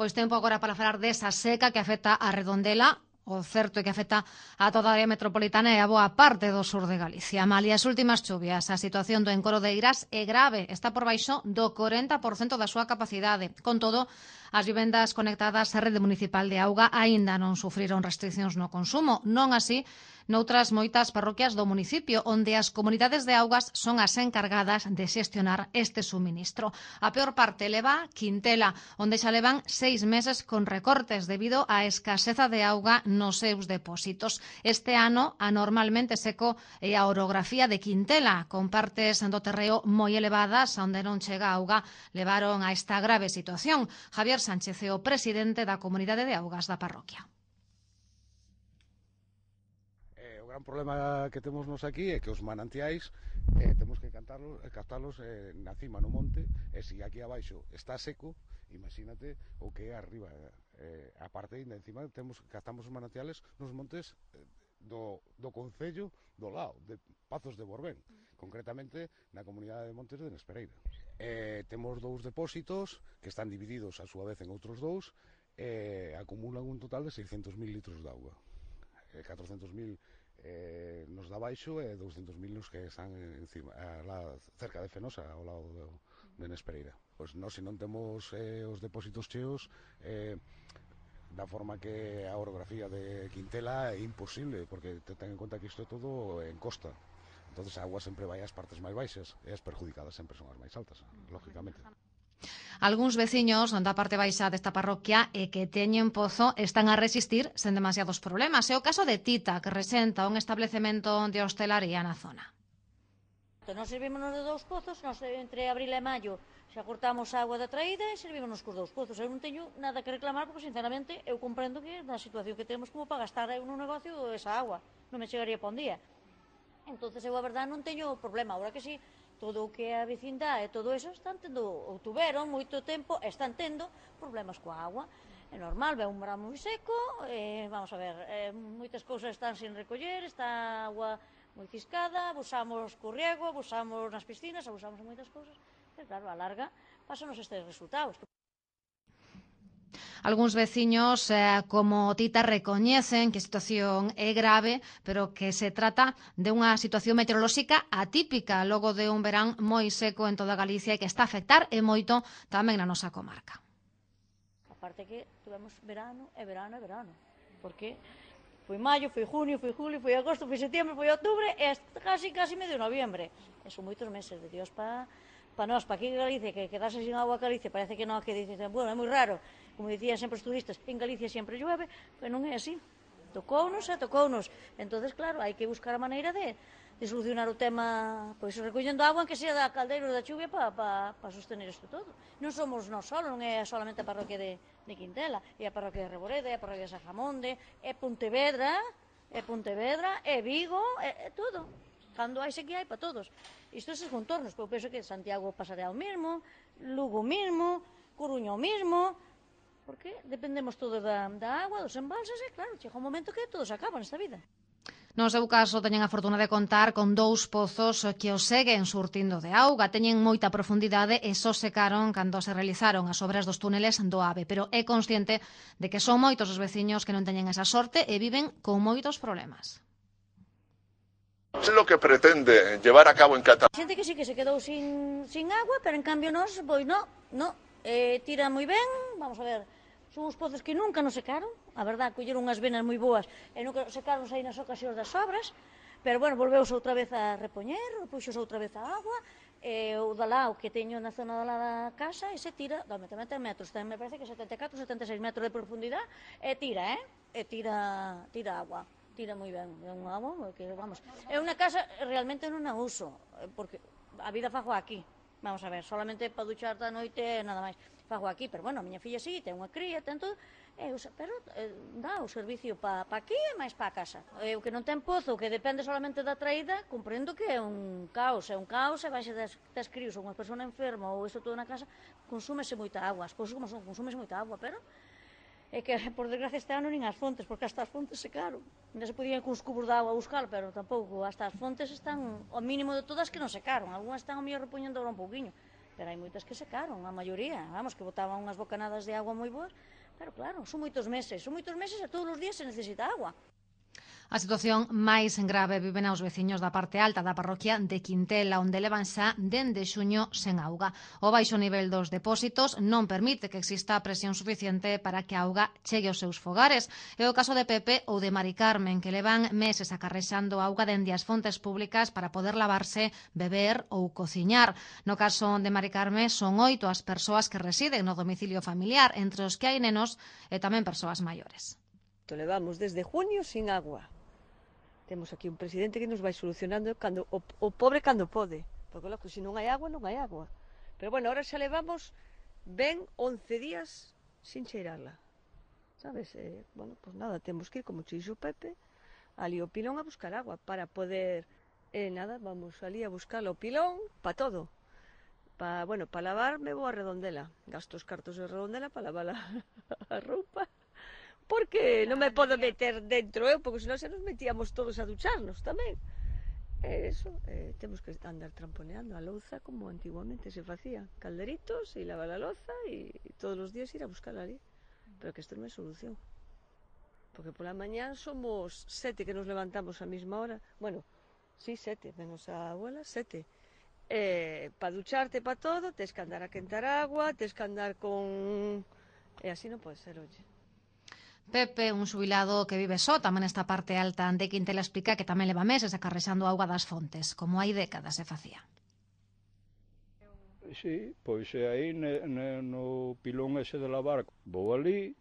Pois tempo agora para falar desa seca que afecta a Redondela. O certo é que afecta a toda a área metropolitana e a boa parte do sur de Galicia. Malia as últimas chuvias, a situación do encoro de Eirás é grave. Está por baixo do 40% da súa capacidade. Con todo, as vivendas conectadas á rede municipal de auga aínda non sufriron restriccións no consumo. Non así noutras moitas parroquias do municipio, onde as comunidades de augas son as encargadas de xestionar este suministro. A peor parte leva Quintela, onde xa levan 6 meses con recortes debido á escaseza de auga nos seus depósitos. Este ano, anormalmente seco é a orografía de Quintela, con partes do terreo moi elevadas, onde non chega auga, levaron a esta grave situación. Javier Sánchez é o presidente da Comunidade de Augas da parroquia. O gran problema que temos nos aquí é que os manantiais temos que captalos na cima, no monte, e se aquí abaixo está seco, imagínate o que é arriba. A parte ainda encima captamos os manantiales nos montes do concello do lado, de Pazos de Borbén, concretamente na comunidade de Montes de Nespereira. Temos 2 depósitos que están divididos a súa vez en outros 2 e acumulan un total de 600.000 litros de auga. 400.000 nos da baixo e 200.000 nos que están encima, lá cerca de Fenosa, ao lado de Nespereira. Pois nós, se non temos os depósitos cheos, da forma que a orografía de Quintela é imposible, porque ten en conta que isto é todo en costa. Entonces a agua sempre vai ás partes máis baixas e as perjudicadas sempre son as máis altas, lógicamente. Algúns veciños da parte baixa desta parroquia e que teñen pozo están a resistir sen demasiados problemas. É o caso de Tita, que resenta un establecemento de hostelaría na zona. Nós servímonos de 2 pozos, nós entre abril e maio xa cortamos a agua da traída e servímonos cos 2 pozos. Eu non teño nada que reclamar porque, sinceramente, eu comprendo que na situación que temos como para gastar eu nun negocio esa agua. Non me chegaría para un día. Entonces eu, a verdade, non teño problema. Agora que sí, todo o que é a vecindade e todo eso están tendo, ou tuveron moito tempo, están tendo problemas coa agua. É normal, ve un verán moi seco, vamos a ver, moitas cousas están sin recoller, está agua moi ciscada, abusamos co riego, abusamos nas piscinas, abusamos en moitas cousas, e claro, a larga pásanos estes resultados. Algúns veciños, como Tita, recoñecen que a situación é grave, pero que se trata de unha situación meteorolóxica atípica logo de un verán moi seco en toda Galicia e que está a afectar e moito tamén na nosa comarca. Aparte que tuvemos verano e verano e verano, porque foi maio, foi junio, foi julio, foi agosto, foi setembro, foi outubro e casi medio noviembre. E son moitos meses de Dios para nós, para aquí en Galicia, que quedarse sin agua a Galicia, parece que non, que dicen, bueno, é moi raro. Como dicían sempre os turistas, en Galicia sempre llueve, pero non é así. Tocounos. Entonces, claro, hai que buscar a maneira de solucionar o tema, pois recollendo agua, que sea da caldeira ou da chuvia para sostener isto todo. Non somos nós solo, non é solamente a parroquia de Quintela, é a parroquia de Reboredo, é a parroquia de Sajamonde, é Pontevedra, é Vigo, é todo. Cando hai sequía hai para todos. Isto é os contornos, porque eu penso que Santiago pasará o mesmo, Lugo o mesmo, Coruña o mesmo, porque dependemos todos da agua, dos embalses, e claro, chega un momento que todo se acaba nesta vida. No seu caso, teñen a fortuna de contar con 2 pozos que os seguen surtindo de auga. Teñen moita profundidade e só secaron cando se realizaron as obras dos túneles do AVE, pero é consciente de que son moitos os veciños que non teñen esa sorte e viven con moitos problemas. É lo que pretende llevar a cabo en Cataluña. Xente que sí que se quedou sin agua, pero en cambio nós, pois no, tira moi ben, vamos a ver, son uns pozos que nunca nos secaron, a verdad, colleron unhas venas moi boas e nunca secaron aí nas ocasións das obras, pero bueno, volveuse outra vez a repoñer, puxose outra vez a agua, e o da lao que teño na zona da da casa, e se tira, tamén ten metros, me parece que 74, 76 metros de profundidade, e tira agua. Tira moi ben, é unha agua que, vamos, é unha casa realmente non a uso, porque a vida fago aquí, vamos a ver, solamente para duchar da noite e nada máis, fago aquí, pero bueno, a miña filla sí, ten unha cría, ten todo, pero dá o servicio para aquí e máis para a casa. O que non ten pozo, que depende solamente da traída, comprendo que é un caos, e baixe das críos ou unha persona enferma ou isto todo na casa, consúmese moita agua, as cousas como son, consúmese moita agua, pero é que, por desgracia, este ano nin as fontes, porque hasta as fontes secaron. Ainda se podían con os cubos de agua buscar, pero tampouco, hasta as fontes están, ao mínimo de todas, que non secaron. Algúnas están ao mellor repoñendo agora un pouquiño, pero hai moitas que secaron, a maioría, vamos, que botaban unhas bocanadas de agua moi boas, pero claro, son moitos meses e todos os días se necesita agua. A situación máis grave viven aos veciños da parte alta da parroquia de Quintela, onde levan xa dende xuño sen auga. O baixo nivel dos depósitos non permite que exista presión suficiente para que a auga chegue aos seus fogares. É o caso de Pepe ou de Mari Carmen, que levan meses acarrexando auga dende as fontes públicas para poder lavarse, beber ou cociñar. No caso de Mari Carmen, son 8 as persoas que residen no domicilio familiar, entre os que hai nenos e tamén persoas maiores. Levamos desde junio sin agua. Temos aquí un presidente que nos vai solucionando o pobre cando pode, porque logo, se non hai agua, non hai agua. Pero bueno, ahora xa levamos ben 11 días sin cheirarla, sabes? Bueno, pues nada, temos que ir, como dixo Pepe, ali ao pilón a buscar agua para poder, nada, vamos ali a buscar o pilón para todo. Bueno, para lavarme vou a Redondela, gasto os cartos de Redondela para lavar a roupa, porque non me podo meter dentro eu, porque senón se nos metíamos todos a ducharnos tamén. Eso, temos que andar tramponeando a louza como antiguamente se facía, calderitos e lavar a louza e todos os días ir a buscarla ali, pero que isto non é solución, porque pola mañán somos 7 que nos levantamos a mesma hora, bueno, sí, 7, menos a abuela, 7, para ducharte, para todo, tes que andar a quentar agua, tes que andar con... e así non pode ser, oye. Pepe, un xubilado que vive só tamén nesta parte alta de Quintela, explica que tamén leva meses acarrexando auga das fontes, como hai décadas se facía. Sí, pois aí no pilón ese de lavar, vou ali,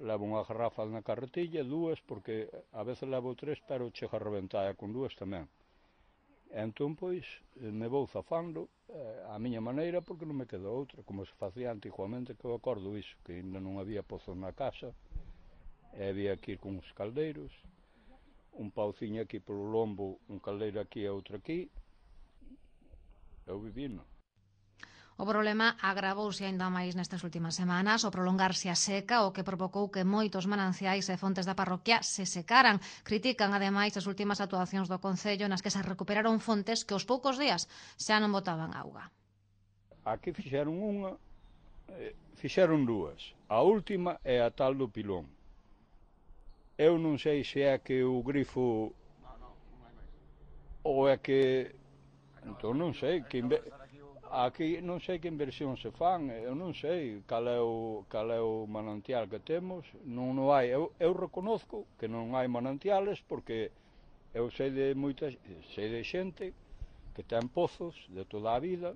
levo unha garrafa na carretilla, 2, porque a veces levo 3, pero chega a reventar con 2 tamén. Entón, pois, me vou zafando a miña maneira, porque non me queda outra, como se facía antiguamente, que eu acordo iso, que ainda non había pozos na casa, e había que ir con os caldeiros, un pauciño aquí polo lombo, un caldeiro aquí e outro aquí, eu vivino. O problema agravouse aínda máis nestas últimas semanas, o prolongarse a seca, o que provocou que moitos mananciais e fontes da parroquia se secaran. Critican, ademais, as últimas actuacións do Concello nas que se recuperaron fontes que aos poucos días xa non botaban auga. Aquí fixeron unha, fixeron 2. A última é a tal do pilón. Eu non sei se é que o grifo ou é que... Entón non sei, aquí non sei que inversión se fan, eu non sei cal é o manantial que temos, non hai, eu reconozco que non hai manantiales porque eu sei de xente que ten pozos de toda a vida,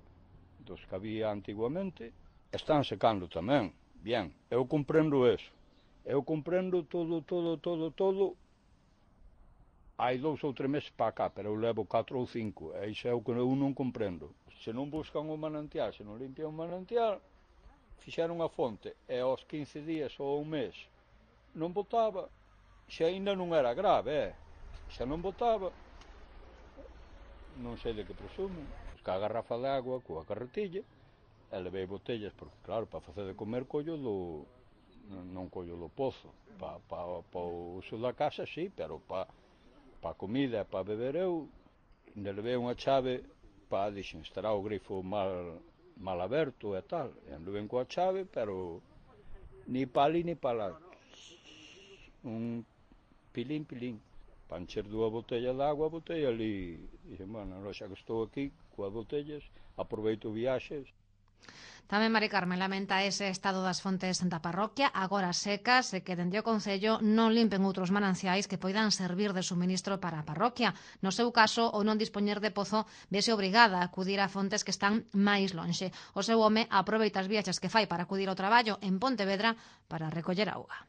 dos que había antiguamente, están secando tamén, bien, eu comprendo eso. Eu comprendo todo, hai 2 ou 3 meses para cá, pero eu levo 4 ou 5, e iso é o que eu non comprendo. Se non buscan o manantial, se non limpian o manantial, fixeron a fonte, e aos 15 días ou un mes non botaba, xa ainda non era grave, xa non botaba, non sei de que presumen, buscar a garrafa de agua coa carretilla, e levei botellas, porque claro, para facer de comer collo non collo do pozo, para o uso da casa sí, pero para a comida e para beber eu ainda levei unha chave para, dixen, estará o grifo mal aberto e tal, e anduven coa chave, pero ni para ali ni para lá, un pilín, para encher 2 botellas de agua, botei ali, dixen, bueno, xa que estou aquí coas botellas, aproveito viaxes. Tamén Mari Carmen lamenta ese estado das fontes da parroquia, agora secas, e que dende o Concello non limpen outros mananciais que poidan servir de suministro para a parroquia. No seu caso, o non dispoñer de pozo, vese obrigada a acudir a fontes que están máis lonxe. O seu home aproveita as viaxes que fai para acudir ao traballo en Pontevedra para recoller auga.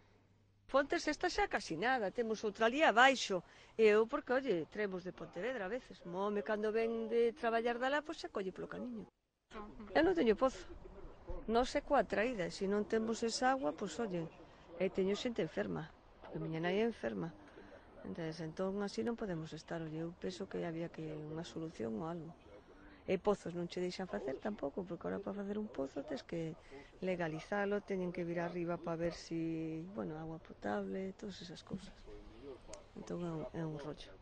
Fontes esta xa casi nada, temos outra ali abaixo, eu porque, oye, traemos de Pontevedra a veces, o home cando ven de traballar dala, pois se colle polo camiño. Eu non teño pozo. Non sei coa traída, se non temos esa agua, pois, oye, teño xente enferma, porque a miña nai é enferma. Entón, así non podemos estar, oye, eu penso que había que unha solución ou algo. E pozos non che deixan facer tampouco, porque ahora para facer un pozo tens que legalizalo, teñen que vir arriba para ver si, bueno, agua potable, todas esas cousas. Entón é un rollo.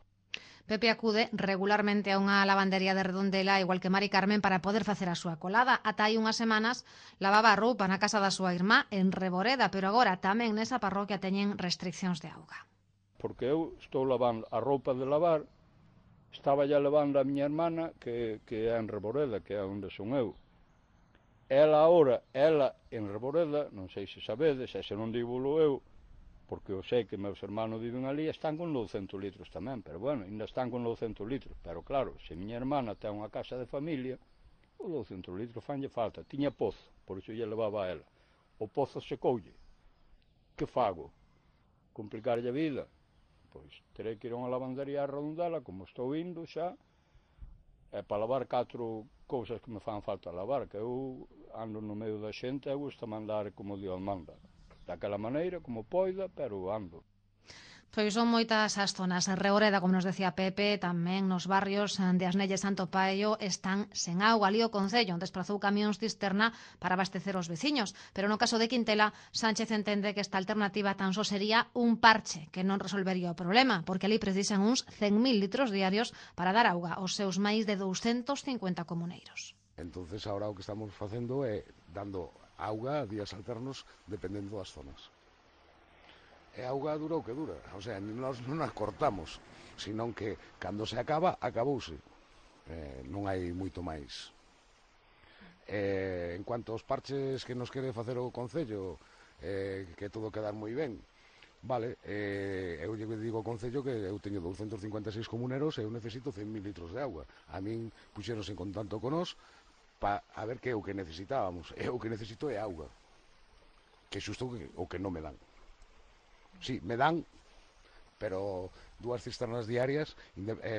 Pepe acude regularmente a unha lavandería de Redondela, igual que Mari Carmen, para poder facer a súa colada. Ata hai unhas semanas lavaba a roupa na casa da súa irmá en Reboreda, pero agora tamén nesa parroquia teñen restriccións de auga. Porque eu estou lavando a roupa de lavar, estaba ya levando a miña hermana, que é en Reboreda, que é onde son eu. Ela en Reboreda, non sei se sabedes, e se non dígolo eu, porque eu sei que meus hermanos viven ali, están con 900 litros tamén, pero bueno, ainda están con 900 litros, pero claro, se miña hermana ten unha casa de familia, os 200 litros fanlle falta. Tiña pozo, por iso lle levaba a ela. O pozo secoulle. Que fago? Complicarlle a vida? Pois terei que ir a unha lavandería a Redondela, como estou indo xa, e para lavar 4 cousas que me fan falta lavar, que eu ando no medio da xente e gusta mandar como Dios manda. Daquela maneira, como poida, pero ando. Pois son moitas as zonas. Reboreda, como nos decía Pepe, tamén nos barrios de Asnelle e Santo Paio están sen auga. Ali o Concello desplazou camións cisterna para abastecer os veciños. Pero no caso de Quintela, Sánchez entende que esta alternativa tan só sería un parche que non resolvería o problema, porque ali precisan uns 100.000 litros diarios para dar auga aos seus máis de 250 comuneiros. Entonces ahora o que estamos facendo é dando auga a días alternos dependendo das zonas. E a auga dura o que dura, o sea, nós non as cortamos, senón que cando se acaba, acabouse. Non hai moito máis. En cuanto aos parches que nos quere facer o Concello, que todo quedar moi ben, vale, eu lle digo ao Concello que eu teño 256 comuneros e eu necesito 100.000 litros de auga. A min puxeronse en contacto con nós para ver que é o que necesitábamos. E o que necesito é auga, que xusto o que non me dan. Sí, me dan, pero 2 cisternas diarias,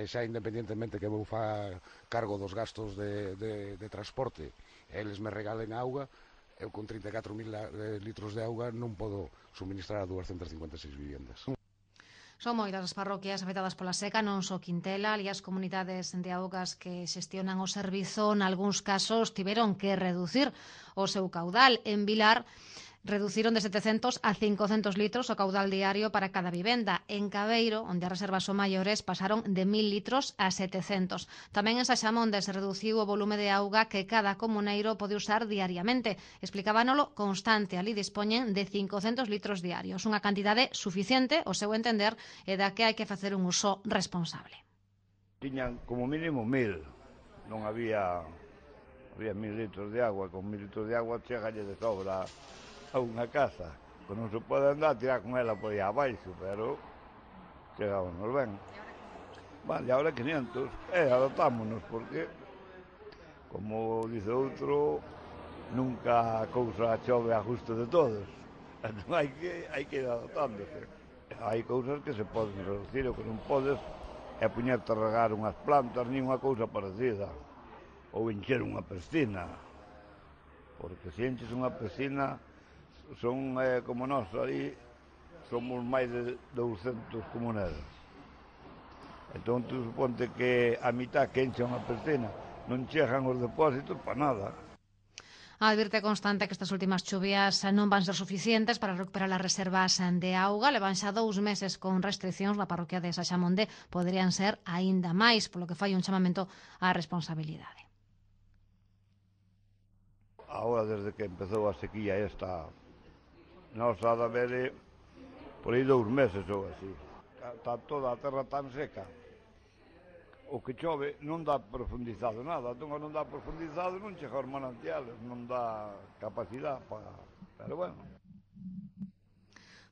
xa independientemente que vou fa cargo dos gastos de transporte, eles me regalen auga, eu con 34.000 litros de auga non podo suministrar a 256 viviendas. Son moitas as parroquias afectadas pola seca, non só Quintela, ali as comunidades de augas que xestionan o servizo, nalgúns casos tiveron que reducir o seu caudal. En Vilar, reduciron de 700 a 500 litros o caudal diario para cada vivenda. En Cabeiro, onde as reservas son maiores, pasaron de 1.000 litros a 700. Tamén en Saxamonde se reduciu o volume de auga que cada comuneiro pode usar diariamente. Explicábanolo constante, ali dispoñen de 500 litros diarios, unha cantidade suficiente, ao seu entender, e da que hai que facer un uso responsable. Tiñan como mínimo 1.000, non había 1.000 litros de agua, con 1.000 litros de agua chegalle de sobra a unha casa, que non se pode andar a tirar con ela por aí abaixo, pero chegámonos ben. Vale, ahora 500, adaptámonos, porque, como dice outro, nunca a cousa chove a gusto de todos, entón hai que ir adaptándose. Hai cousas que se poden reducir, o que non podes é poñerte a regar unhas plantas, nin unha cousa parecida, ou encher unha piscina, porque se enches unha piscina, son como nós, aí somos máis de 200 comuneros. Entón, tú suponte que a mitad que enche unha piscina non chegan os depósitos para nada. Advirte constante que estas últimas chuvias non van ser suficientes para recuperar as reservas de auga. Levan xa 2 meses con restriccións na parroquia de Saxamonde. Poderían ser aínda máis, polo que fai un chamamento á responsabilidade. Agora, desde que empezou a sequía esta, nós ha de haber por aí 2 meses ou así. Está toda a terra tan seca. O que chove non dá profundizado nada. Entón, non dá profundizado, non chega aos manantiales, non dá capacidade para... Pero bueno.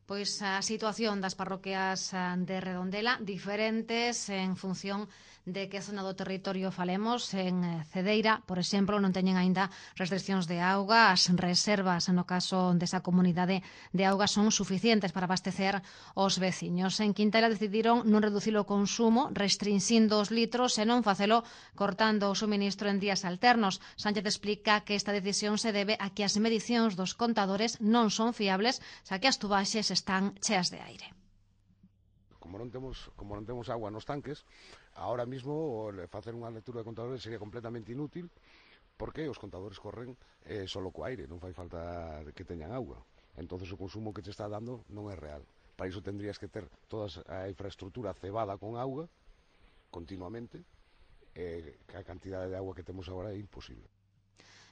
Pois a situación das parroquias de Redondela diferentes en función de que zona do territorio falemos. En Cedeira, por exemplo, non teñen aínda restriccións de auga. As reservas, no caso desa comunidade de auga, son suficientes para abastecer os veciños. En Quintela decidiron non reducir o consumo, restrinxindo os litros e non facelo cortando o suministro en días alternos. Sánchez explica que esta decisión se debe a que as medicións dos contadores non son fiables, xa que as tubaxes están cheas de aire. Como non temos agua nos tanques, ahora mismo facer unha lectura de contadores sería completamente inútil, porque os contadores corren solo co aire, non fai falta que teñan agua. Entonces o consumo que te está dando non é real. Para iso tendrías que ter toda a infraestructura cebada con auga continuamente, que a cantidade de agua que temos agora é imposible.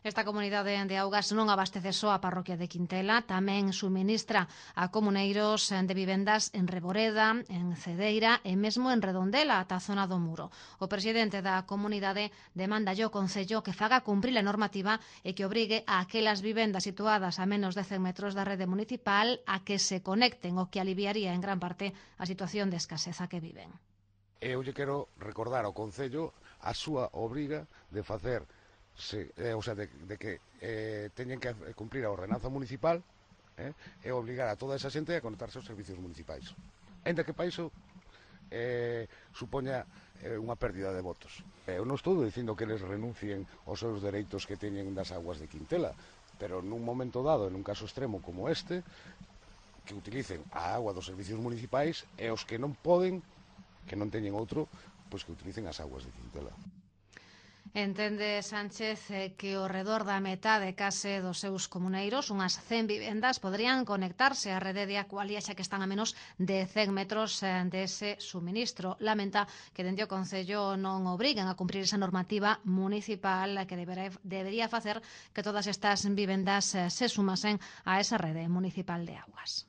Esta comunidade de augas non abastece só a parroquia de Quintela, tamén suministra a comuneiros de vivendas en Reboreda, en Cedeira e mesmo en Redondela, ata a zona do Muro. O presidente da comunidade demanda ao Concello que faga cumprir a normativa e que obrigue a aquelas vivendas situadas a menos de 100 metros da rede municipal a que se conecten, o que aliviaría en gran parte a situación de escaseza que viven. Eu lle quero recordar ao Concello a súa obriga de facer de que teñen que cumprir a ordenanza municipal e obligar a toda esa xente a conectarse aos servicios municipais. Ainda que para iso supoña unha pérdida de votos. Eu non estou dicindo que eles renuncien aos seus dereitos que teñen das aguas de Quintela, pero nun momento dado, en un caso extremo como este, que utilicen a agua dos servicios municipais e os que non poden, que non teñen outro, pois que utilicen as aguas de Quintela. Entende Sánchez que ao redor da metade case dos seus comuneiros, unhas 100 vivendas, poderían conectarse á rede de Aqualia xa que están a menos de 100 metros dese suministro. Lamenta que dende o Concello non obriguen a cumprir esa normativa municipal que debería facer que todas estas vivendas se sumasen a esa rede municipal de augas.